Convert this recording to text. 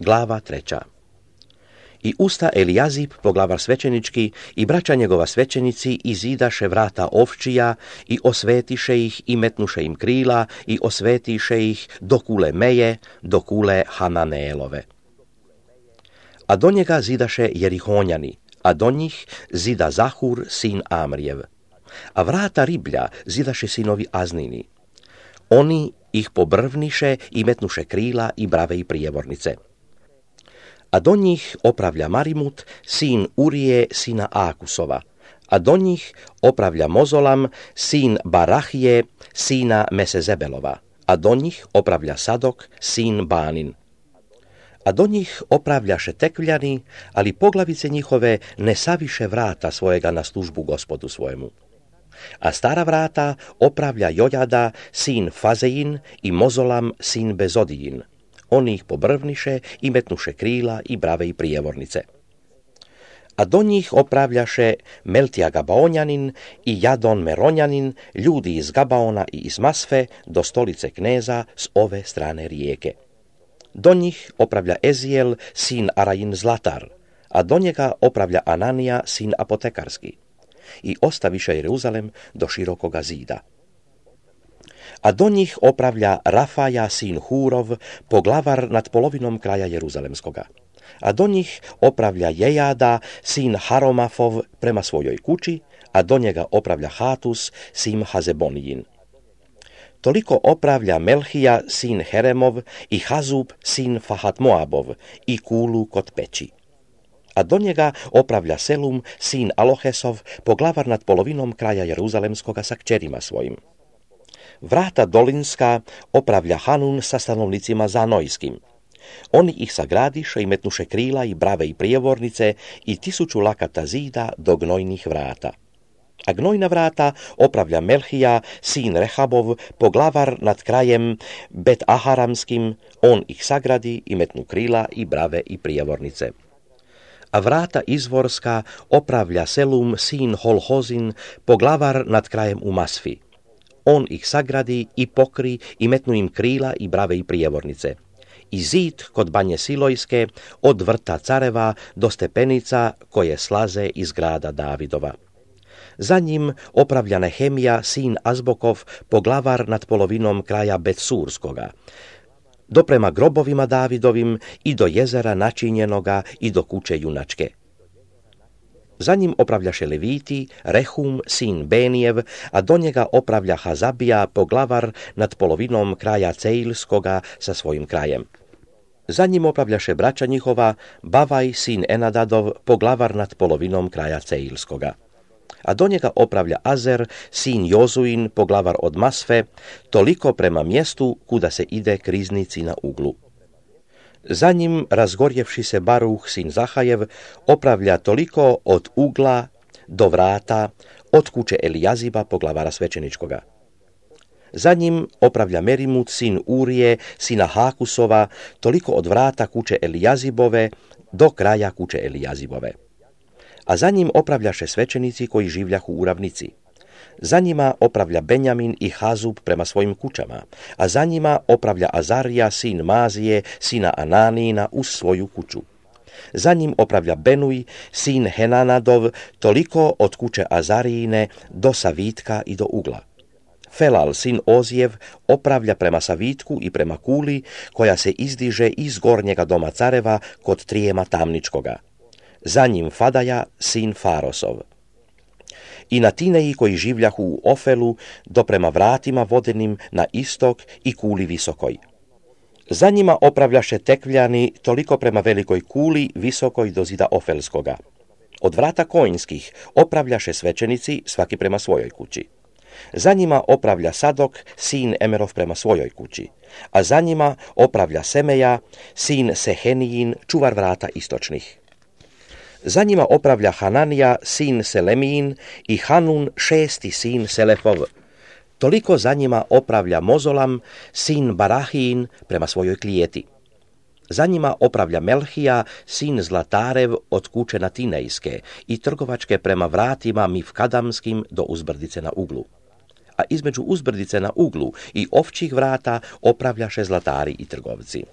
Glava 3. I usta Elijazib, poglavar svećenički, i braća njegova svećenici izidaše vrata ovčija i osvetiše ih i metnuše im krila i osvetiše ih do kule Meje, do kule Hananeelove. A do njega zidaše Jerihonjani, a do njih zida Zahur, sin Amrijev. A vrata riblja zidaše sinovi Aznini. Oni ih pobrvniše i metnuše krila i brave i prijevornice. A do njih opravlja Marimut, sin Urije, sina Akusova. A do njih opravlja Mozolam, sin Barahije, sina Mesezebelova. A do njih opravlja Sadok, sin Banin. A do njih opravljaše tekvljani, ali poglavice njihove ne saviše vrata svojega na službu gospodu svojemu. A stara vrata opravlja Jojada, sin Fazein, i Mozolam, sin Bezodijin. Oni ih pobrvniše i metnuše krila i brave i prijevornice. A do njih opravljaše Meltija Gabaonjanin i Jadon Meronjanin, ljudi iz Gabaona i iz Masfe, do stolice kneza s ove strane rijeke. Do njih opravlja Ezijel, sin Arajin Zlatar, a do njega opravlja Ananija, sin Apotekarski. I ostaviše Jeruzalem do širokoga zida. A do njih opravlja Rafaja, sin Hurov, poglavar nad polovinom kraja Jeruzalemskoga. A do njih opravlja Jejada, sin Haromafov, prema svojoj kući, a do njega opravlja Hatus, sin Hazebonijin. Toliko opravlja Melhija, sin Heremov, i Hazub, sin Fahat Moabov, i kulu kod peći. A do njega opravlja Selum, sin Alohesov, poglavar nad polovinom kraja Jeruzalemskoga sa kćerima svojim. Vrata dolinska opravlja Hanun sa stanovnicima Zanojskim. Oni ih sagradiše i metnuše krila i brave i prijevornice i 1000 lakata zida do gnojnih vrata. A gnojna vrata opravlja Melhija, sin Rehabov, poglavar nad krajem Bet Aharamskim, on ih sagradi i metnu krila i brave i prijevornice. A vrata izvorska opravlja Selum, sin Holhozin, poglavar nad krajem u Masfi. On ih sagradi i pokri i metnu im krila i brave i prijevornice. I zid kod Banje Silojske od vrta Careva do stepenica koje slaze iz grada Davidova. Za njim opravlja Nehemija, sin Azbokov, poglavar nad polovinom kraja Betsurskoga, do prema grobovima Davidovim i do jezera načinjenoga i do kuće junačke. Za njim opravljaše Leviti, Rehum, sin Benijev, a do njega opravlja Hazabija, poglavar nad polovinom kraja Ceilskoga sa svojim krajem. Za njim opravljaše braća njihova, Bavaj, sin Enadadov, poglavar nad polovinom kraja Ceilskoga. A do njega opravlja Azer, sin Jozuin, poglavar od Masfe, toliko prema mjestu kuda se ide k riznici na uglu. Za njim, razgorjevši se Baruh, sin Zahajev, opravlja toliko od ugla do vrata, od kuće Elijaziba, poglavara svećeničkoga. Za njim opravlja Merimut, sin Urije, sina Hakusova, toliko od vrata kuće Elijazibove do kraja kuće Elijazibove. A za njim opravljaše svećenici koji življahu u ravnici. Za njima opravlja Benjamin i Hazub prema svojim kućama, a za njima opravlja Azarija, sin Mazije, sina Ananina, uz svoju kuću. Za njim opravlja Benuj, sin Henanadov, toliko od kuće Azarijine do Savitka i do ugla. Felal, sin Ozijev, opravlja prema Savitku i prema kuli, koja se izdiže iz gornjega doma Careva kod Trijema Tamničkoga. Za njim Fadaja, sin Farosov. I na Tineji koji življahu u Ofelu, do prema vratima vodenim na istok i kuli visokoj. Za njima opravljaše tekvljani toliko prema velikoj kuli visokoj do zida Ofelskoga. Od vrata konjskih opravljaše svećenici svaki prema svojoj kući. Za njima opravlja Sadok, sin Emerov prema svojoj kući, a za njima opravlja Semeja, sin Sehenijin, čuvar vrata istočnih. Za njima opravlja Hananija, sin Selemijin, i Hanun, 6. sin Selefov. Toliko za njima opravlja Mozolam, sin Barahijin, prema svojoj klijeti. Za njima opravlja Melhija, sin Zlatarev, od kuće Natinejske i trgovačke prema vratima Mifkadamskim do uzbrdice na uglu. A između uzbrdice na uglu i ovčjih vrata opravljaše zlatari i trgovci.